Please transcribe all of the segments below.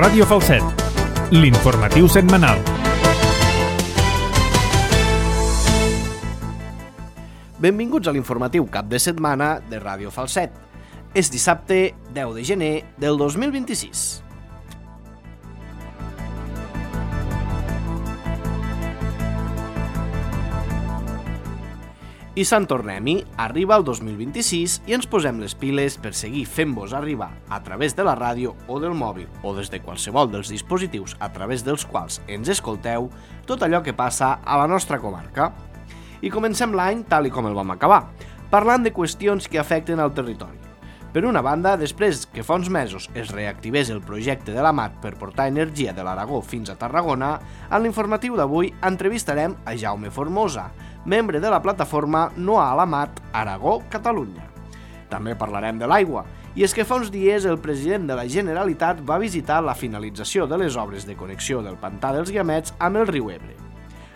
Ràdio Falset, l'informatiu setmanal. Benvinguts a l'informatiu cap de setmana de Ràdio Falset. És dissabte 10 de gener del 2026. I Sant Tornem-hi, arriba el 2026 i ens posem les piles per seguir fent-vos arribar a través de la ràdio o del mòbil o des de qualsevol dels dispositius a través dels quals ens escolteu tot allò que passa a la nostra comarca. I comencem l'any tal i com el vam acabar, parlant de qüestions que afecten al territori. Per una banda, després que fa uns mesos es reactivés el projecte de la MAT per portar energia de l'Aragó fins a Tarragona, en l'informatiu d'avui entrevistarem a Jaume Formosa, membre de la plataforma No a la MAT Aragó Catalunya. També parlarem de l'aigua, i és que fa uns dies el president de la Generalitat va visitar la finalització de les obres de connexió del Pantà dels Guiamets amb el riu Ebre.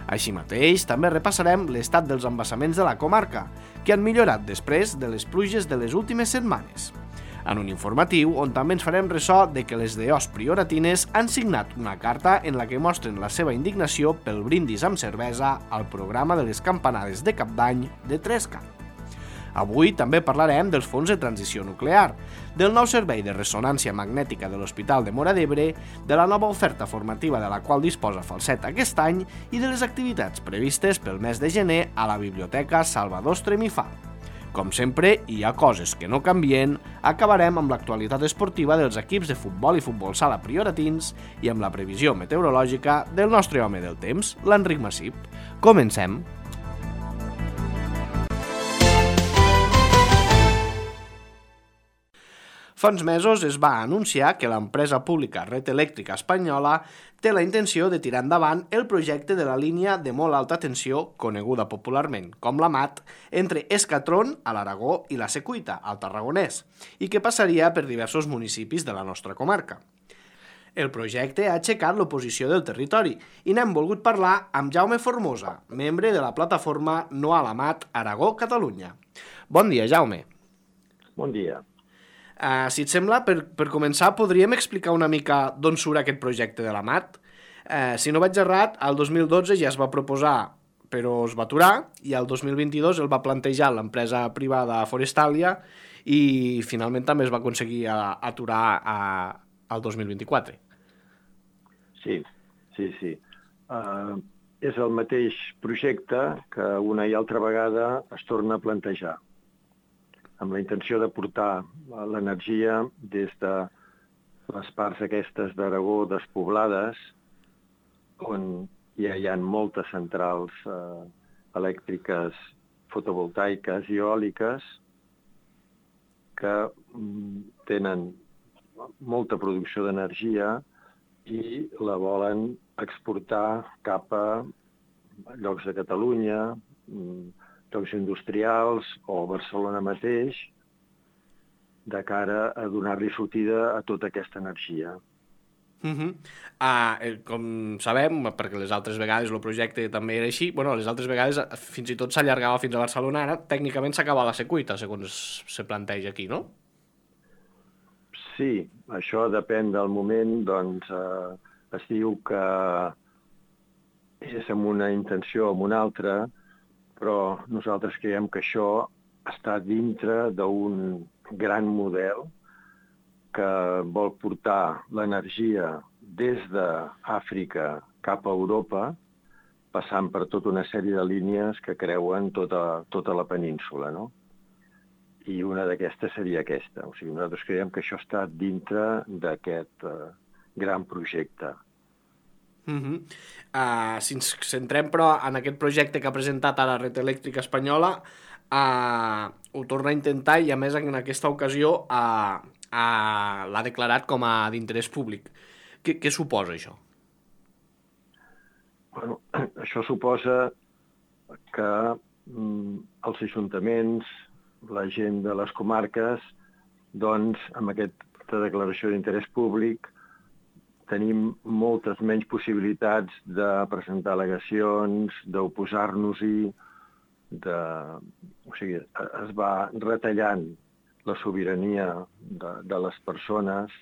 Així mateix, també repassarem l'estat dels embassaments de la comarca, que han millorat després de les pluges de les últimes setmanes. En un informatiu on també ens farem ressò de que les DOs prioratines han signat una carta en la que mostren la seva indignació pel brindis amb cervesa al programa de les campanades de Cap d'Any de Trescar. Avui també parlarem dels fons de transició nuclear, del nou servei de ressonància magnètica de l'Hospital de Móra d'Ebre, de la nova oferta formativa de la qual disposa Falset aquest any i de les activitats previstes pel mes de gener a la Biblioteca Salvador Estremifà. Com sempre, hi ha coses que no canvien, acabarem amb l'actualitat esportiva dels equips de futbol i futbol sala prioratins i amb la previsió meteorològica del nostre home del temps, l'Enric Massip. Comencem! Fa uns mesos es va anunciar que l'empresa pública Red Eléctrica Espanyola té la intenció de tirar endavant el projecte de la línia de molt alta tensió, coneguda popularment com la MAT, entre Escatron, a l'Aragó, i la Secuita, al Tarragonès, i que passaria per diversos municipis de la nostra comarca. El projecte ha aixecat l'oposició del territori i n'hem volgut parlar amb Jaume Formosa, membre de la plataforma No a la MAT Aragó Catalunya. Bon dia, Jaume. Bon dia. Si et sembla, per començar, podríem explicar una mica d'on surt aquest projecte de la MAT? Si no vaig errat, el 2012 ja es va proposar, però es va aturar, i el 2022 el va plantejar l'empresa privada Forestalia i finalment també es va aconseguir aturar al 2024. Sí. És el mateix projecte que una i altra vegada es torna a plantejar, amb la intenció de portar l'energia des de les parts aquestes d'Aragó despoblades, on ja hi ha moltes centrals elèctriques fotovoltaiques i eòliques que tenen molta producció d'energia i la volen exportar cap a llocs de Catalunya, llocs industrials o Barcelona mateix, de cara a donar-li sortida a tota aquesta energia. Com sabem, perquè les altres vegades el projecte també era així, les altres vegades fins i tot s'allargava fins a Barcelona, ara tècnicament s'acaba a la Secuita, segons se planteja aquí, no? Sí, això depèn del moment, doncs es diu que és amb una intenció o amb una altra, però nosaltres creiem que això està dintre d'un gran model que vol portar l'energia des d'Àfrica cap a Europa, passant per tota una sèrie de línies que creuen tota la península, no? I una d'aquestes seria aquesta. O sigui, nosaltres creiem que això està dintre d'aquest gran projecte. Si ens centrem, però, en aquest projecte que ha presentat ara Red Eléctrica Espanyola, ho torna a intentar i, a més, en aquesta ocasió l'ha declarat com a d'interès públic. Què suposa això? Bueno, això suposa que els ajuntaments, la gent de les comarques, doncs, amb aquesta declaració d'interès públic, tenim moltes menys possibilitats de presentar al·legacions, d'oposar-nos-hi, o sigui, es va retallant la sobirania de les persones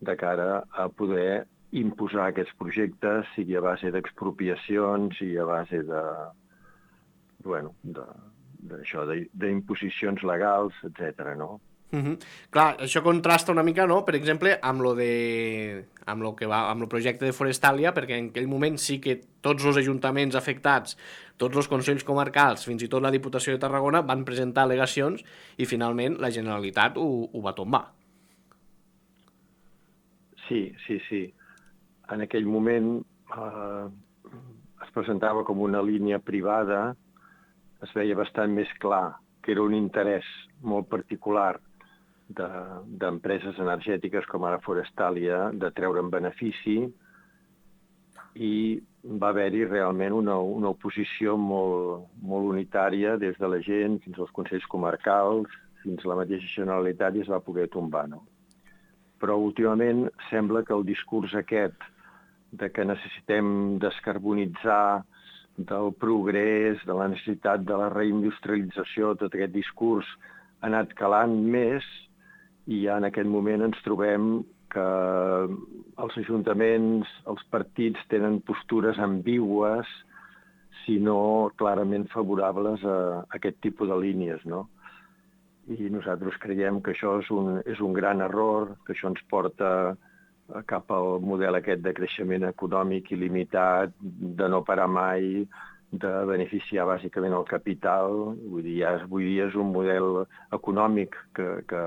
de cara a poder imposar aquests projectes, sigui a base d'expropiacions, sigui a base d'imposicions legals, etc. no? Clar, això contrasta una mica, no?, per exemple, amb el projecte de Forestalia, perquè en aquell moment sí que tots els ajuntaments afectats, tots els consells comarcals, fins i tot la Diputació de Tarragona, van presentar al·legacions i finalment la Generalitat ho va tombar. Sí. En aquell moment es presentava com una línia privada, es veia bastant més clar que era un interès molt particular d'empreses energètiques com ara Forestalia de treure'n benefici, i va haver-hi realment una oposició molt unitària des de la gent fins als consells comarcals, fins a la mateixa Generalitat, i es va poder tombar, no? Però últimament sembla que el discurs aquest de que necessitem descarbonitzar, del progrés, de la necessitat de la reindustrialització, tot aquest discurs ha anat calant més, i ja en aquest moment ens trobem que els ajuntaments, els partits tenen postures ambigües, si no clarament favorables a aquest tipus de línies, no? I nosaltres creiem que això és un gran error, que això ens porta cap al model aquest de creixement econòmic il·limitat, de no parar mai, de beneficiar bàsicament el capital. Vull dir, avui dia és un model econòmic que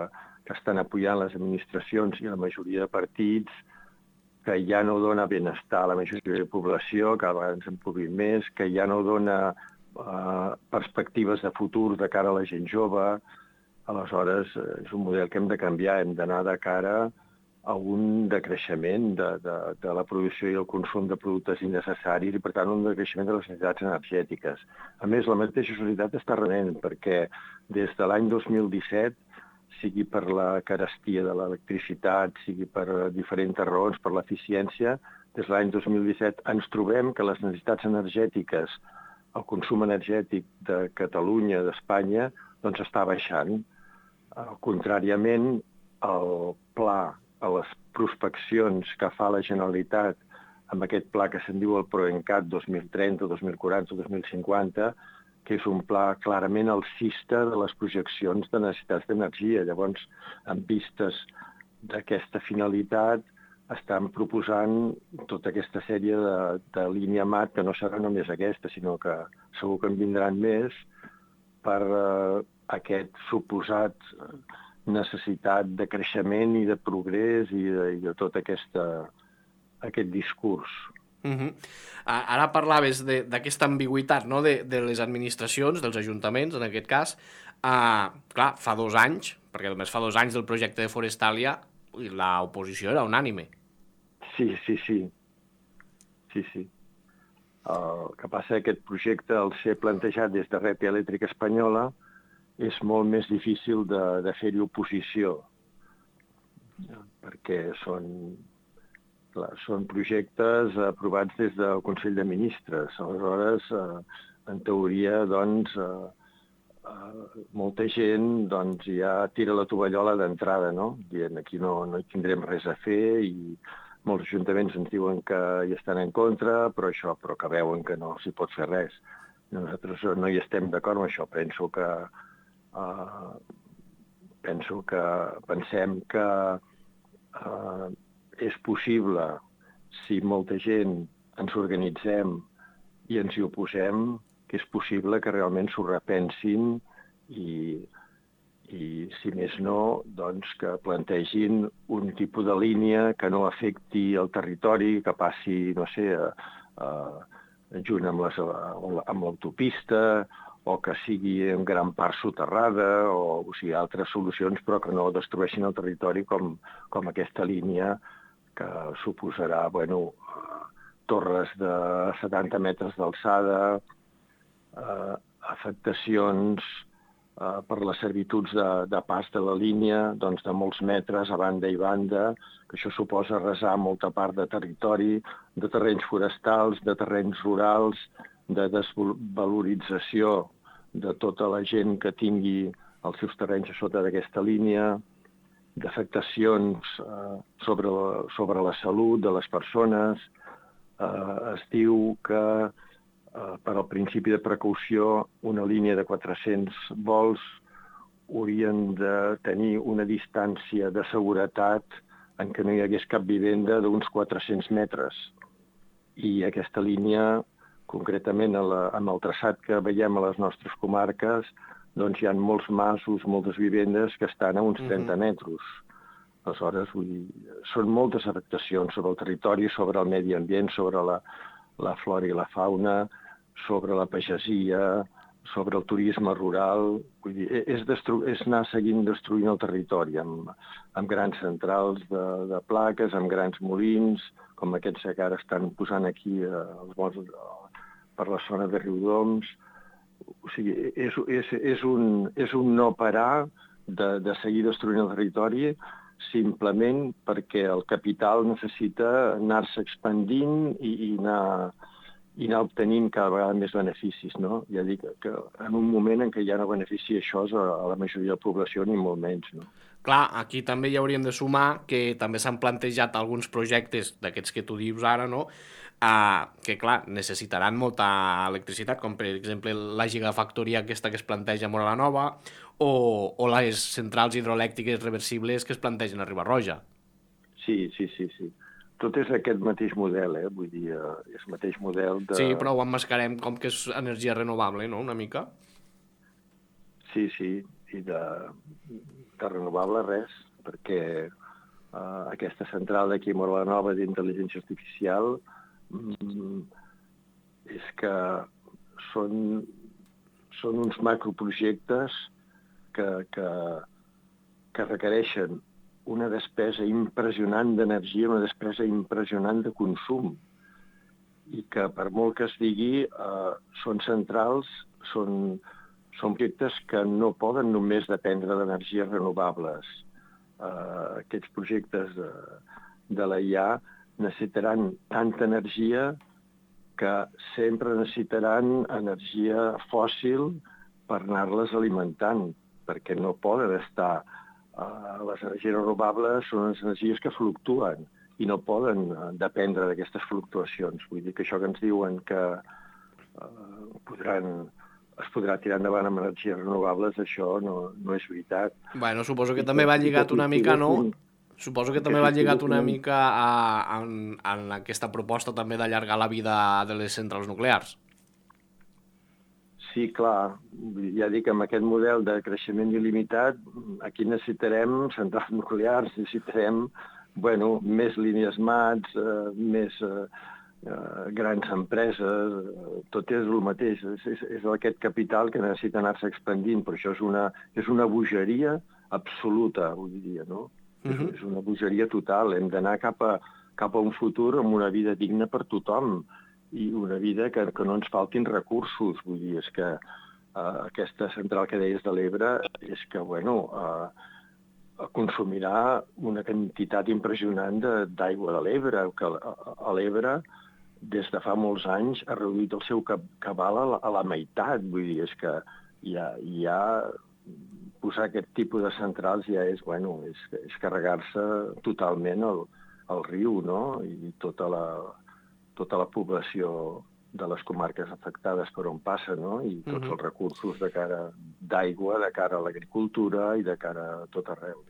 estan apoyant les administracions i la majoria de partits, que ja no dona benestar a la majoria de la població, cada vegada ens empobrim més, que ja no dona perspectives de futur de cara a la gent jove. Aleshores, és un model que hem de canviar, hem d'anar de cara a un decreixement de la producció i el consum de productes innecessaris i, per tant, un decreixement de les necessitats energètiques. A més, la mateixa societat està renent, perquè des de l'any 2017, sigui per la carestia de l'electricitat, sigui per diferents raons, per l'eficiència, des de l'any 2017 ens trobem que les necessitats energètiques, el consum energètic de Catalunya, d'Espanya, doncs està baixant. Contràriament, el pla, a les prospeccions que fa la Generalitat amb aquest pla que se'n diu el PROENCAT 2030, 2040, 2050, que és un pla clarament alcista de les projeccions de necessitats d'energia. Llavors, amb vistes d'aquesta finalitat, estan proposant tota aquesta sèrie de línia MAT, que no serà només aquesta, sinó que segur que en vindran més, per aquest suposat necessitat de creixement i de progrés i de tot aquest discurs. Ara parlaves d'aquesta ambigüitat, no?, de les administracions, dels ajuntaments, en aquest cas. Clar, fa 2 anys, perquè només fa 2 anys del projecte de Forestalia, l'oposició era unànime. Sí. El que passa que aquest projecte, al ser plantejat des de Red Elèctrica Espanyola, és molt més difícil de fer-hi oposició, perquè són projectes aprovats des del Consell de Ministres. Aleshores, en teoria, doncs, molta gent ja tira la tovallola d'entrada, no? Dient, aquí no hi tindrem res a fer, i molts ajuntaments ens diuen que hi estan en contra, però que veuen que no s'hi pot fer res. Nosaltres no hi estem d'acord amb això. Pensem que és possible, si molta gent ens organitzem i ens hi oposem, que és possible que realment s'ho repensin i, si més no, doncs que plantegin un tipus de línia que no afecti el territori, que passi, no sé, junt amb l'autopista, o que sigui en gran part soterrada, o sigui, altres solucions, però que no destrueixin el territori com aquesta línia que suposarà, torres de 70 metres d'alçada, afectacions per les servituds de pas de la línia, doncs de molts metres a banda i banda, que això suposa arrasar molta part de territori, de terrenys forestals, de terrenys rurals, de desvalorització de tota la gent que tingui els seus terrenys a sota d'aquesta línia. d'afectacions sobre la salut de les persones. Es diu que per al principi de precaució una línia de 400 vols haurien de tenir una distància de seguretat en què no hi hagués cap vivenda d'uns 400 metres. I aquesta línia, concretament amb el traçat que veiem a les nostres comarques, doncs hi ha molts masos, moltes vivendes que estan a uns 30 metres. Aleshores, són moltes afectacions sobre el territori, sobre el medi ambient, sobre la flora i la fauna, sobre la pagesia, sobre el turisme rural. Vull dir, és anar seguint destruint el territori amb grans centrals de plaques, amb grans molins, com aquests que ara estan posant aquí per la zona de Riudoms. O sigui, és un no parar de seguir destruint el territori simplement perquè el capital necessita anar-se expandint i anar obtenint cada vegada més beneficis, no? Ja dic que en un moment en què ja no beneficia això a la majoria de la població, ni molt menys, no? Clar, aquí també hi hauríem de sumar que també s'han plantejat alguns projectes d'aquests que tu dius ara, no?, que, clar, necessitaran molta electricitat, com per exemple la gigafactoria aquesta que es planteja a Móra la Nova o les centrals hidroelèctriques reversibles que es plantegen a Riba-roja. Sí. Tot és aquest mateix model, vull dir, és el mateix model de... Sí, però ho emmascarem com que és energia renovable, no?, una mica. Sí, i de renovable res, perquè aquesta central d'aquí a Móra la Nova d'intel·ligència artificial és que són uns macroprojectes que requereixen una despesa impressionant d'energia, una despesa impressionant de consum, i que per molt que es digui són centrals, són projectes que no poden només dependre d'energies renovables. Aquests projectes de la IA necessitaran tanta energia que sempre necessitaran energia fòssil per anar-les alimentant, perquè no poden estar... Les energies renovables són unes energies que fluctuen i no poden dependre d'aquestes fluctuacions. Vull dir que això que ens diuen que es podrà tirar endavant amb energies renovables, això no és veritat. Bueno, suposo que també va lligat una mica, no? Suposo que també va lligat una mica en aquesta proposta també d'allargar la vida de les centrals nuclears. Sí, clar. Ja dic, amb aquest model de creixement il·limitat, aquí necessitarem centrals nuclears, necessitarem més línies mats, més grans empreses, tot és el mateix. És aquest capital que necessita anar-se expandint, però això és una bogeria absoluta, vull dir, no? És una bogeria total. Hem d'anar cap a un futur amb una vida digna per tothom i una vida que no ens faltin recursos. Vull dir, és que aquesta central que deies de l'Ebre és que, consumirà una quantitat impressionant d'aigua de l'Ebre, que a l'Ebre, des de fa molts anys, ha reduït el seu cabal a la meitat. Vull dir, és que ja posar aquest tipus de centrals ja és carregar-se totalment el riu, no? I tota la població de les comarques afectades per on passa, no? I tots els recursos de cara d'aigua, de cara a l'agricultura i de cara a tot arreu.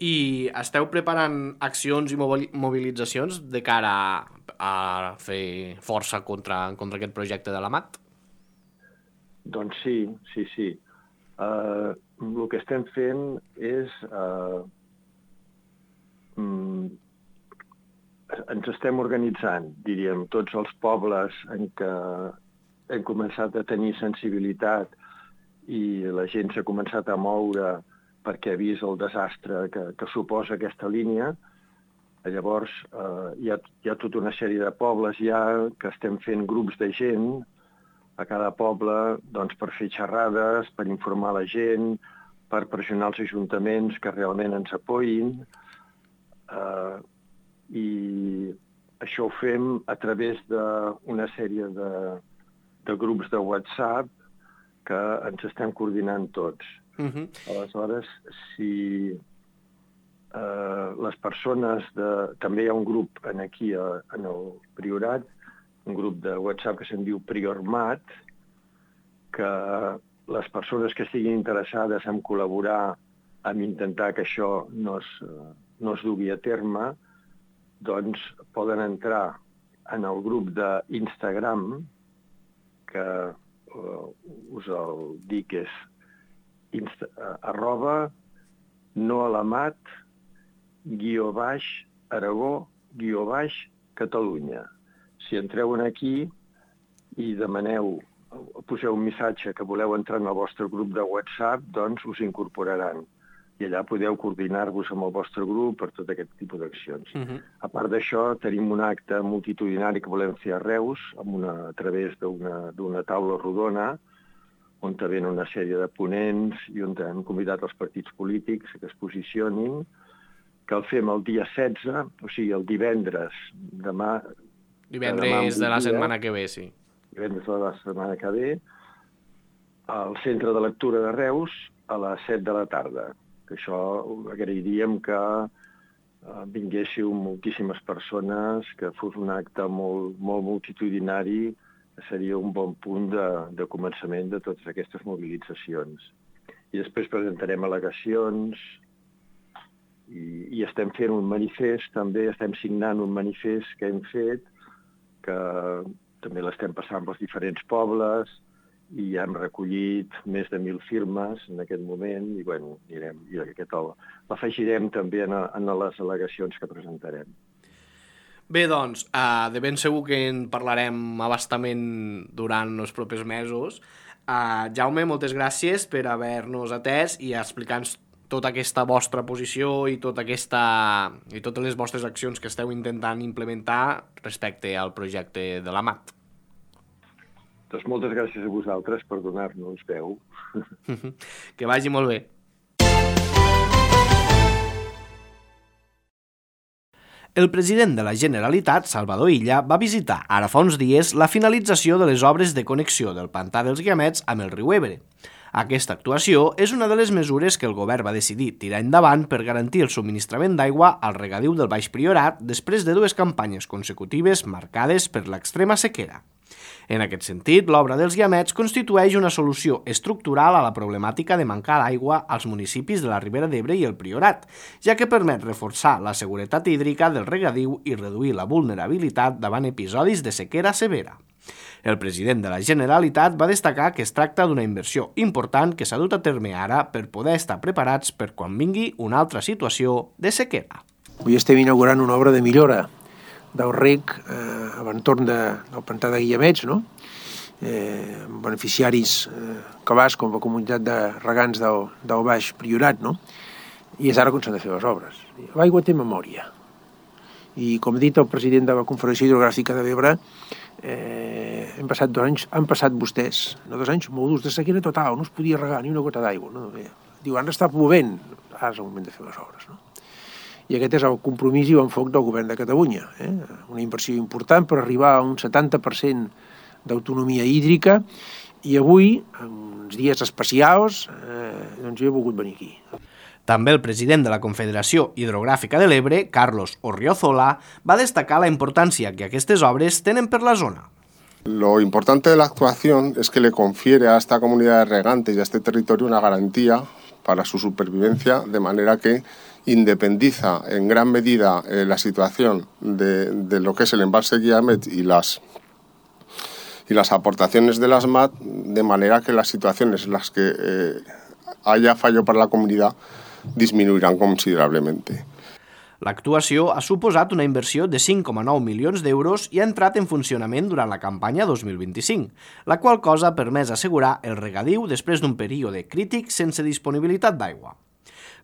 I esteu preparant accions i mobilitzacions de cara a fer força contra aquest projecte de la MAT? Doncs sí. El que estem fent és... ens estem organitzant, diríem, tots els pobles en què hem començat a tenir sensibilitat i la gent s'ha començat a moure perquè ha vist el desastre que suposa aquesta línia. Llavors, hi ha tota una sèrie de pobles ja que estem fent grups de gent a cada poble per fer xerrades, per informar la gent, per pressionar els ajuntaments que realment ens apoyin. I això ho fem a través d'una sèrie de grups de WhatsApp que ens estem coordinant tots. Aleshores, si les persones també hi ha un grup aquí en el Priorat, un grup de WhatsApp que se'n diu Priormat, que les persones que estiguin interessades en col·laborar, en intentar que això no es dugui a terme, doncs poden entrar en el grup d'Instagram, que us el dic és @noalamat_Aragó_Catalunya. Si entreu aquí i poseu un missatge que voleu entrar en el vostre grup de WhatsApp, doncs us incorporaran. I allà podeu coordinar-vos amb el vostre grup per tot aquest tipus d'accions. A part d'això, tenim un acte multitudinari que volem fer a Reus, a través d'una taula rodona, on venen una sèrie de ponents i on hem convidat els partits polítics que es posicionin, que el fem el dia 16, o sigui, el divendres, demà... Divendres de la setmana que ve, sí. Divendres de la setmana que ve, al Centre de Lectura de Reus, a les 7 de la tarda. Que això agrairíem que vinguéssiu moltíssimes persones, que fos un acte molt multitudinari, que seria un bon punt de començament de totes aquestes mobilitzacions. I després presentarem al·legacions i estem fent un manifest, també estem signant un manifest que hem fet, que també l'estem passant pels diferents pobles, i ja hem recollit més de 1.000 firmes en aquest moment, i bueno, l'afegirem també en les al·legacions que presentarem. Bé, doncs, de ben segur que en parlarem a bastament durant els propers mesos. Jaume, moltes gràcies per haver-nos atès i explicar-nos tota aquesta vostra posició i totes les vostres accions que esteu intentant implementar respecte al projecte de l'AMAT. Doncs moltes gràcies a vosaltres per donar-nos veu. Que vagi molt bé. El president de la Generalitat, Salvador Illa, va visitar ara fa uns dies la finalització de les obres de connexió del pantà dels Guiamets amb el riu Ebre. Aquesta actuació és una de les mesures que el govern va decidir tirar endavant per garantir el subministrament d'aigua al regadiu del Baix Priorat després de 2 campanyes consecutives marcades per l'extrema sequera. En aquest sentit, l'obra dels Guiamets constitueix una solució estructural a la problemàtica de mancar d'aigua als municipis de la Ribera d'Ebre i el Priorat, ja que permet reforçar la seguretat hídrica del regadiu i reduir la vulnerabilitat davant episodis de sequera severa. El president de la Generalitat va destacar que es tracta d'una inversió important que s'ha dut a terme ara per poder estar preparats per quan vingui una altra situació de sequera. Avui estem inaugurant una obra de millora del rec a l'entorn del pantà de Guiamets, no? Beneficiaris cabals com la comunitat de regants del Baix Priorat, no? I és ara quan s'han de fer les obres. L'aigua té memòria. I com ha dit el president de la Confederació Hidrogràfica de l'Ebre, hem passat 2 anys, han passat vostès, 2 anys molt durs de sequera total, no es podia regar ni una gota d'aigua. No? Diu, ara està plovent, ara és el moment de fer les obres, no? I aquest és el compromís i l'enfoc del govern de Catalunya. Una inversió important per arribar a un 70% d'autonomia hídrica i avui, en uns dies especials, doncs jo he volgut venir aquí. També el president de la Confederació Hidrogràfica de l'Ebre, Carlos Orriozola, va destacar la importància que aquestes obres tenen per la zona. Lo importante de la actuación es que le confiere a esta comunidad de regantes y a este territorio una garantía para su supervivencia, de manera que independiza en gran medida la situación de lo que es el embalse Guiamet y las aportaciones de las MAT, de manera que las situaciones en las que haya fallo para la comunidad disminuirán considerablemente. L'actuació ha suposat una inversió de 5,9 milions d'euros i ha entrat en funcionament durant la campanya 2025, la qual cosa ha permès assegurar el regadiu després d'un període crític sense disponibilitat d'aigua.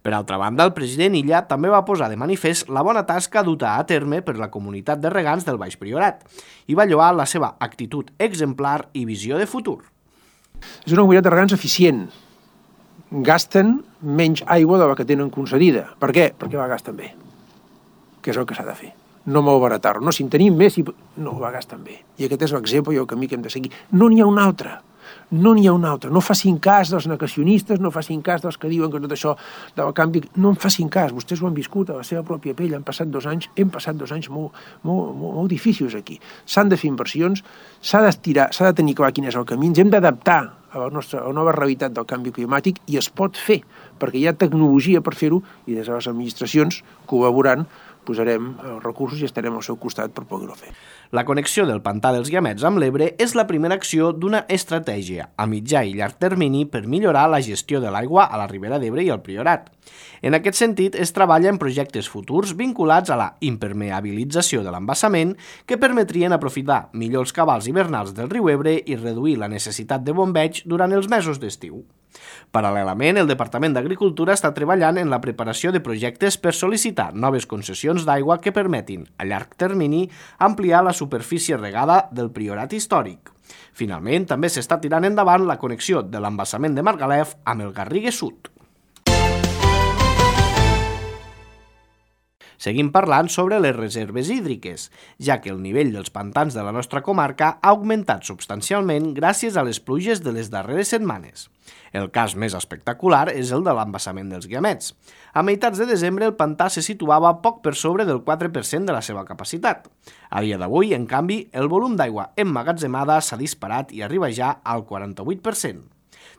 Per altra banda, el president Illa també va posar de manifest la bona tasca duta a terme per la comunitat de regants del Baix Priorat i va lloar la seva actitud exemplar i visió de futur. És una comunitat de regants eficient. Gasten menys aigua de la que tenen concedida. Per què? Perquè la gasten bé, que és el que s'ha de fer. No malbaratar-ho. No, si en tenim més, no la gasten bé. I aquest és l'exemple i el camí que hem de seguir. No n'hi ha un altre. No n'hi ha un altre. No facin cas dels negacionistes, no facin cas dels que diuen que tot això del canvi... No en facin cas. Vostès ho han viscut a la seva pròpia pell. Hem passat 2 anys molt difícils aquí. S'han de fer inversions, s'ha de tenir clar quin és el camí, ens hem d'adaptar a la nova realitat del canvi climàtic i es pot fer, perquè hi ha tecnologia per fer-ho i des de les administracions, col·laborant, posarem els recursos i estarem al seu costat per poder-ho fer. La connexió del pantà dels Guiamets amb l'Ebre és la primera acció d'una estratègia a mitjà i llarg termini per millorar la gestió de l'aigua a la Ribera d'Ebre i al Priorat. En aquest sentit, es treballa en projectes futurs vinculats a la impermeabilització de l'embassament que permetrien aprofitar millor els cabals hivernals del riu Ebre i reduir la necessitat de bombeig durant els mesos d'estiu. Paral·lelament, el Departament d'Agricultura està treballant en la preparació de projectes per sol·licitar noves concessions d'aigua que permetin, a llarg termini, ampliar la superfície regada del Priorat històric. Finalment, també s'està tirant endavant la connexió de l'embassament de Margalef amb el Garrigue Sud. Seguim parlant sobre les reserves hídriques, ja que el nivell dels pantans de la nostra comarca ha augmentat substancialment gràcies a les pluges de les darreres setmanes. El cas més espectacular és el de l'embassament dels Guiamets. A meitats de desembre el pantà se situava poc per sobre del 4% de la seva capacitat. A dia d'avui, en canvi, el volum d'aigua emmagatzemada s'ha disparat i arriba ja al 48%.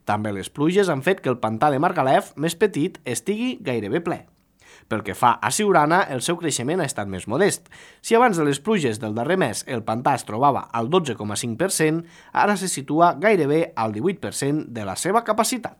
També les pluges han fet que el pantà de Margalef, més petit, estigui gairebé ple. Pel que fa a Siurana, el seu creixement ha estat més modest. Si abans de les pluges del darrer mes el pantà es trobava al 12,5%, ara se situa gairebé al 18% de la seva capacitat.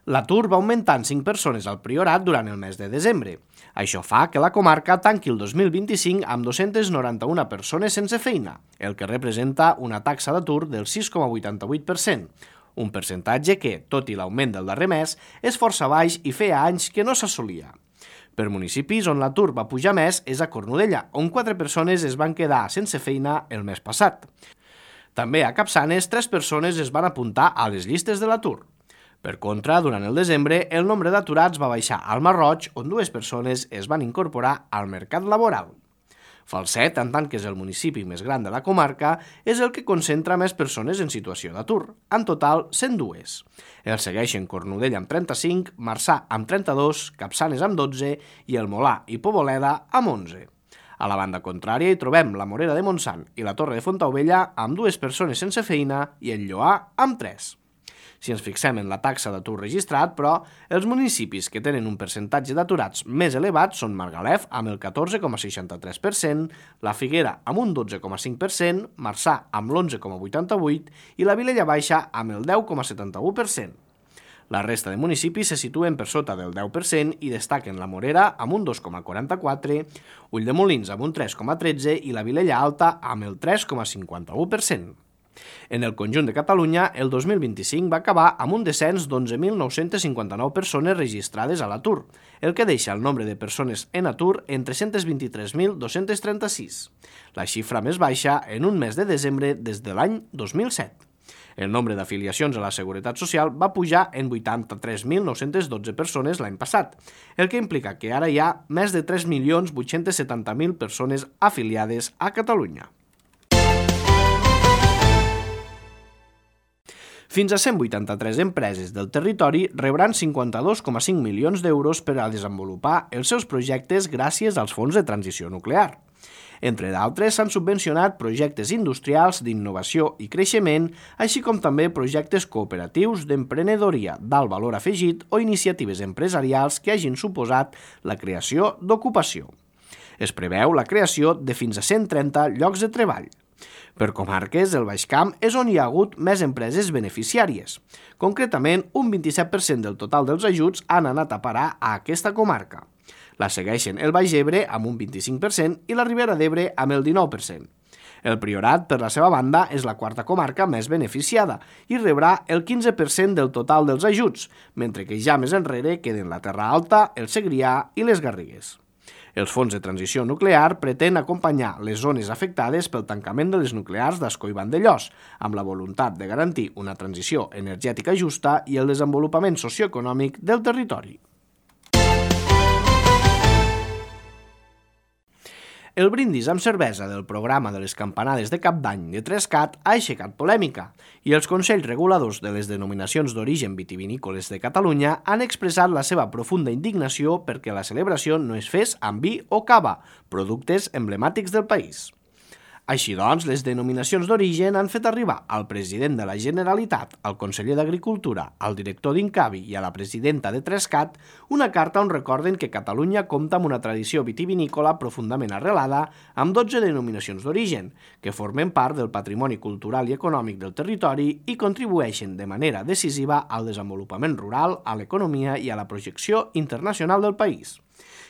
L'atur va augmentar en 5 persones al Priorat durant el mes de desembre. Això fa que la comarca tanqui el 2025 amb 291 persones sense feina, el que representa una taxa d'atur del 6,88%, un percentatge que, tot i l'augment del darrer mes, és força baix i feia anys que no s'assolia. Per municipis on l'atur va pujar més és a Cornudella, on 4 persones es van quedar sense feina el mes passat. També a Capçanes, 3 persones es van apuntar a les llistes de l'atur. Per contra, durant el desembre, el nombre d'aturats va baixar al Masroig, on 2 persones es van incorporar al mercat laboral. Falset, en tant que és el municipi més gran de la comarca, és el que concentra més persones en situació d'atur, en total 102. El segueixen Cornudella amb 35, Marçà amb 32, Capçanes amb 12 i el Molà i Poboleda amb 11. A la banda contrària hi trobem la Morera de Montsant i la Torre de Fontaubella amb 2 persones sense feina i el Lloar amb 3. Si ens fixem en la taxa d'atur registrat, però, els municipis que tenen un percentatge d'aturats més elevat són Margalef amb el 14,63%, la Figuera amb un 12,5%, Marçà amb l'11,88% i la Vilella Baixa amb el 10,71%. La resta de municipis se situen per sota del 10% i destaquen la Morera amb un 2,44%, Ulldemolins amb un 3,13% i la Vilella Alta amb el 3,51%. En el conjunt de Catalunya, el 2025 va acabar amb un descens d'11.959 persones registrades a l'atur, el que deixa el nombre de persones en atur en 323.236, la xifra més baixa en un mes de desembre des de l'any 2007. El nombre d'afiliacions a la Seguretat Social va pujar en 83.912 persones l'any passat, el que implica que ara hi ha més de 3.870.000 persones afiliades a Catalunya. Fins a 183 empreses del territori rebran 52,5 milions d'euros per a desenvolupar els seus projectes gràcies als fons de transició nuclear. Entre d'altres, s'han subvencionat projectes industrials d'innovació i creixement, així com també projectes cooperatius d'emprenedoria d'alt valor afegit o iniciatives empresarials que hagin suposat la creació d'ocupació. Es preveu la creació de fins a 130 llocs de treball. Per comarques, el Baix Camp és on hi ha hagut més empreses beneficiàries. Concretament, un 27% del total dels ajuts han anat a parar a aquesta comarca. La segueixen el Baix Ebre amb un 25% i la Ribera d'Ebre amb el 19%. El Priorat, per la seva banda, és la quarta comarca més beneficiada i rebrà el 15% del total dels ajuts, mentre que ja més enrere queden la Terra Alta, el Segrià i les Garrigues. Els fons de transició nuclear pretén acompanyar les zones afectades pel tancament de les nuclears d'Ascó i Vandellòs, amb la voluntat de garantir una transició energètica justa i el desenvolupament socioeconòmic del territori. El brindis amb cervesa del programa de les campanades de Cap d'Any de Trescat ha aixecat polèmica i els consells reguladors de les denominacions d'origen vitivinícoles de Catalunya han expressat la seva profunda indignació perquè la celebració no es fes amb vi o cava, productes emblemàtics del país. Així doncs, les denominacions d'origen han fet arribar al president de la Generalitat, al conseller d'Agricultura, al director d'Incavi i a la presidenta de Trescat una carta on recorden que Catalunya compta amb una tradició vitivinícola profundament arrelada amb 12 denominacions d'origen, que formen part del patrimoni cultural i econòmic del territori i contribueixen de manera decisiva al desenvolupament rural, a l'economia i a la projecció internacional del país.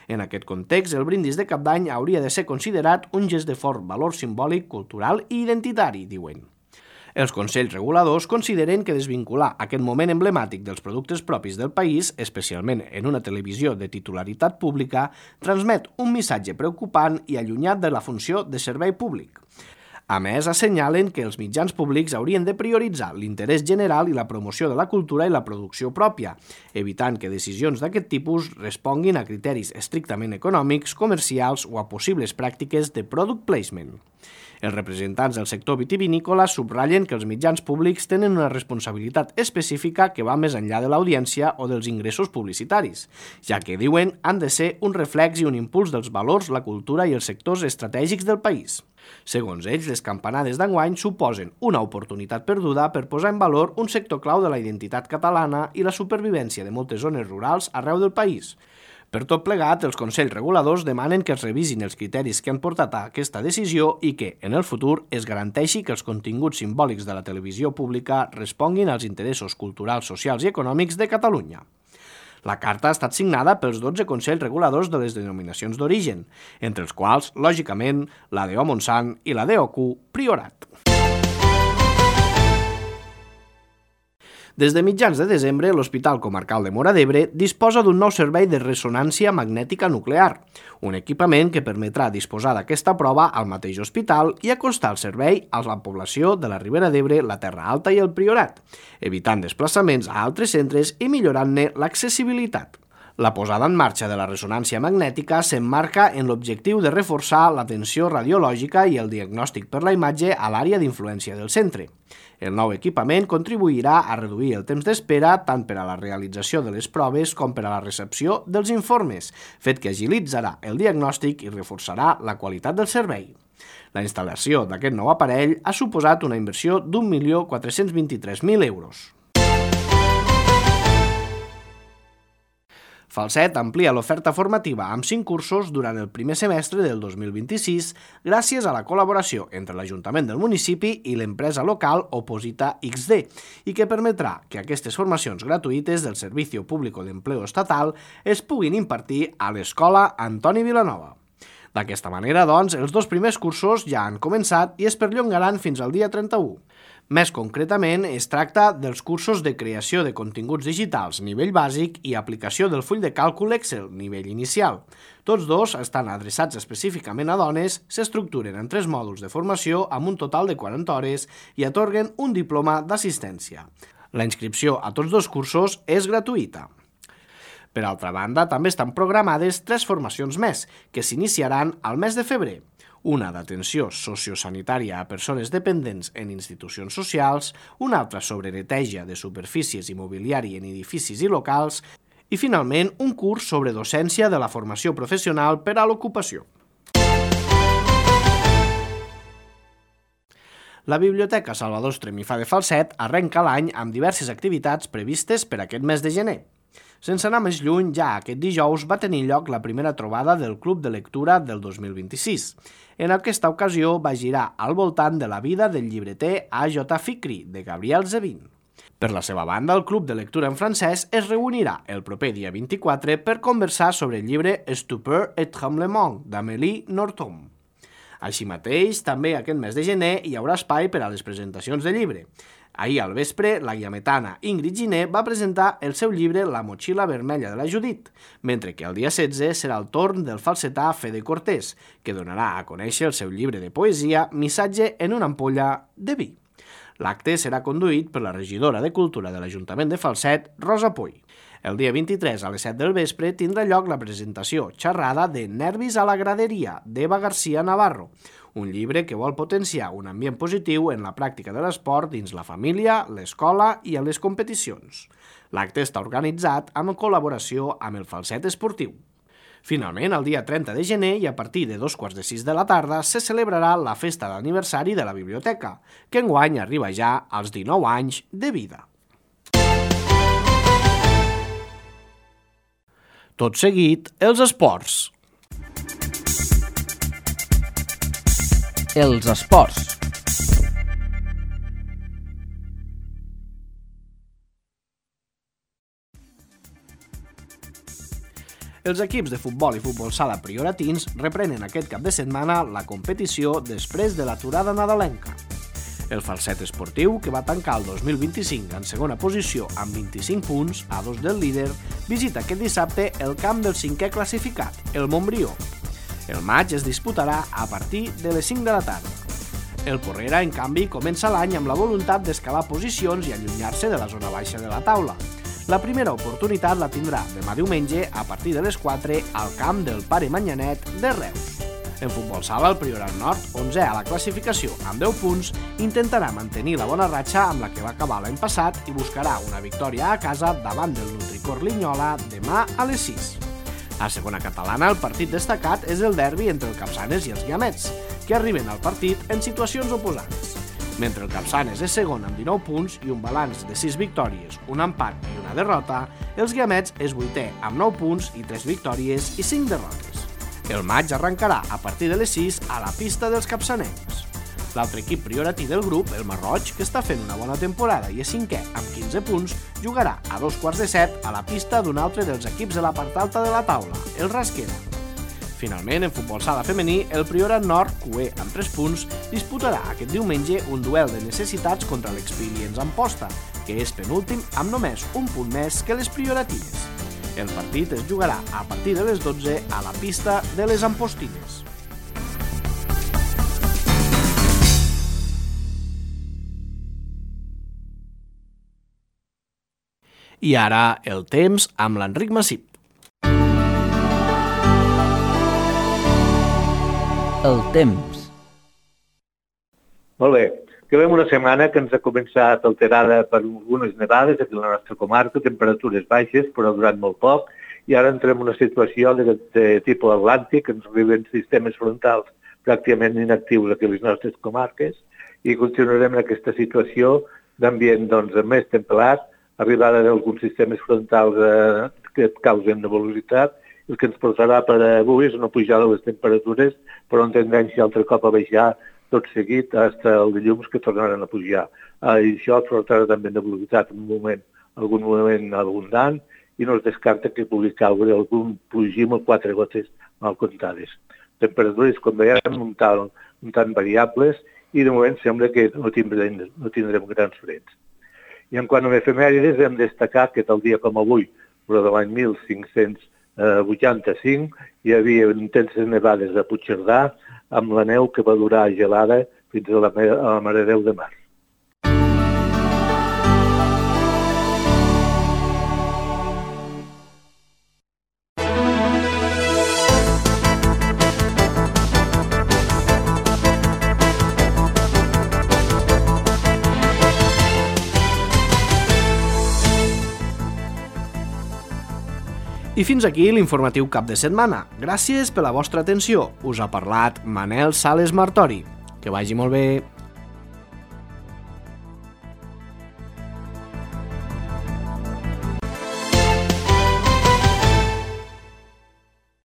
En aquest context, el brindis de Cap d'Any hauria de ser considerat un gest de fort valor simbòlic, cultural i identitari, diuen. Els consells reguladors consideren que desvincular aquest moment emblemàtic dels productes propis del país, especialment en una televisió de titularitat pública, transmet un missatge preocupant i allunyat de la funció de servei públic. A més, assenyalen que els mitjans públics haurien de prioritzar l'interès general i la promoció de la cultura i la producció pròpia, evitant que decisions d'aquest tipus responguin a criteris estrictament econòmics, comercials o a possibles pràctiques de product placement. Els representants del sector vitivinícola subratllen que els mitjans públics tenen una responsabilitat específica que va més enllà de l'audiència o dels ingressos publicitaris, ja que, diuen, han de ser un reflex i un impuls dels valors, la cultura i els sectors estratègics del país. Segons ells, les campanades d'enguany suposen una oportunitat perduda per posar en valor un sector clau de la identitat catalana i la supervivència de moltes zones rurals arreu del país. Per tot plegat, els consells reguladors demanen que es revisin els criteris que han portat a aquesta decisió i que, en el futur, es garanteixi que els continguts simbòlics de la televisió pública responguin als interessos culturals, socials i econòmics de Catalunya. La carta ha estat signada pels 12 consells reguladors de les denominacions d'origen, entre els quals, lògicament, la d'O Montsant i la d'OQ Priorat. Des de mitjans de desembre, l'Hospital Comarcal de Móra d'Ebre disposa d'un nou servei de ressonància magnètica nuclear, un equipament que permetrà disposar d'aquesta prova al mateix hospital i acostar el servei a la població de la Ribera d'Ebre, la Terra Alta i el Priorat, evitant desplaçaments a altres centres i millorant-ne l'accessibilitat. La posada en marxa de la ressonància magnètica s'emmarca en l'objectiu de reforçar l'atenció radiològica i el diagnòstic per la imatge a l'àrea d'influència del centre. El nou equipament contribuirà a reduir el temps d'espera tant per a la realització de les proves com per a la recepció dels informes, fet que agilitzarà el diagnòstic i reforçarà la qualitat del servei. La instal·lació d'aquest nou aparell ha suposat una inversió d'1.423.000 euros. Falset amplia l'oferta formativa amb 5 cursos durant el primer semestre del 2026 gràcies a la col·laboració entre l'Ajuntament del municipi i l'empresa local Oposita XD i que permetrà que aquestes formacions gratuïtes del Servicio Público de Empleo Estatal es puguin impartir a l'Escola Antoni Vilanova. D'aquesta manera, doncs, els 2 primers cursos ja han començat i es perllongaran fins al dia 31. Més concretament, es tracta dels cursos de creació de continguts digitals, nivell bàsic, i aplicació del full de càlcul Excel, nivell inicial. Tots 2 estan adreçats específicament a dones, s'estructuren en 3 mòduls de formació amb un total de 40 hores i atorguen un diploma d'assistència. La inscripció a tots 2 cursos és gratuïta. Per altra banda, també estan programades 3 formacions més, que s'iniciaran al mes de febrer. Una d'atenció sociosanitària a persones dependents en institucions socials, una altra sobre neteja de superfícies i mobiliari en edificis i locals i, finalment, un curs sobre docència de la formació professional per a l'ocupació. La Biblioteca Salvador Estremifà de Falset arrenca l'any amb diverses activitats previstes per aquest mes de gener. Sense anar més lluny, ja aquest dijous va tenir lloc la primera trobada del Club de Lectura del 2026. En aquesta ocasió va girar al voltant de la vida del llibreter A.J. Fikri, de Gabriel Zevin. Per la seva banda, el Club de Lectura en francès es reunirà el proper dia 24 per conversar sobre el llibre Stupeur et tremblement, d'Amélie Nothomb. Així mateix, també aquest mes de gener hi haurà espai per a les presentacions de llibre. Ahir al vespre, la guiametana Ingrid Giner va presentar el seu llibre La motxilla vermella de la Judit, mentre que el dia 16 serà el torn del falsetà Fede Cortés, que donarà a conèixer el seu llibre de poesia Missatge en una ampolla de vi. L'acte serà conduït per la regidora de Cultura de l'Ajuntament de Falset, Rosa Puy. El dia 23 a les 7 del vespre tindrà lloc la presentació xerrada de Nervis a la graderia, d'Eva García Navarro, un llibre que vol potenciar un ambient positiu en la pràctica de l'esport dins la família, l'escola i a les competicions. L'acte està organitzat en col·laboració amb el Falset Esportiu. Finalment, el dia 30 de gener i a partir de 2:45 de la tarda se celebrarà la festa d'aniversari de la biblioteca, que enguany arriba ja als 19 anys de vida. Tot seguit, els esports. Els esports. Els equips de futbol i futbol sala prioratins reprenen aquest cap de setmana la competició després de l'aturada nadalenca. El Falset Esportiu, que va tancar el 2025 en segona posició amb 25 punts, a 2 del líder, visita aquest dissabte el camp del 5è classificat, el Montbrió. El maig es disputarà a partir de les 5 de la tarda. El Porrera, en canvi, comença l'any amb la voluntat d'escalar posicions i allunyar-se de la zona baixa de la taula. La primera oportunitat la tindrà demà diumenge a partir de les 4 al camp del Pare Manyanet de Reus. En futbol sala, el Priorat Nord, 11è a la classificació amb 10 punts, intentarà mantenir la bona ratxa amb la que va acabar l'any passat i buscarà una victòria a casa davant del Nutricor Linyola demà a les 6. A segona catalana, el partit destacat és el derbi entre el Capçanes i els Guiamets, que arriben al partit en situacions oposades. Mentre el Capçanes és segon amb 19 punts i un balanç de 6 victòries, un empat i una derrota, els Guiamets és 8è amb 9 punts i 3 victòries i 5 derrotes. El maig arrencarà a partir de les 6 a la pista dels capçanencs. L'altre equip prioratí del grup, el Marroig, que està fent una bona temporada i és 5è amb 15 punts, jugarà a 2:45 a la pista d'un altre dels equips de la part alta de la taula, el Rasquera. Finalment, en futbol sala femení, el Priorat Nord, cué amb 3 punts, disputarà aquest diumenge un duel de necessitats contra l'Experience Amposta, que és penúltim amb només un punt més que les prioratines. El partit es jugarà a partir de les 12 a la pista de les Ampostines. I ara el temps amb l'Enric Massip. El temps. Molt bé. Acabem una setmana que ens ha començat alterada per algunes nevades aquí a la nostra comarca, temperatures baixes, però durant molt poc, i ara entrem en una situació de tipus atlàntic, que ens arriben sistemes frontals pràcticament inactius aquí a les nostres comarques, i continuarem en aquesta situació d'ambient més temperat, arribada d'alguns sistemes frontals que causen nebulositat, el que ens portarà per avui és una pujada de les temperatures, però en tendència altre cop a baixar tot seguit fins el dilluns que tornaran a pujar. I això portarà també nebulositat en algun moment abundant i no es descarta que pugui caure algun plogim o 4 gotes mal comptades. Temperatures, com veiem, un tant variables i de moment sembla que no tindrem grans freds. I en quant a efemèrides, hem destacat que tal dia com avui, però de l'any 1585, hi havia intenses nevades a Puigcerdà, amb la neu que va durar gelada fins a la Mare de Déu de març. I fins aquí l'informatiu cap de setmana. Gràcies per la vostra atenció. Us ha parlat Manel Sales Martori. Que vagi molt bé.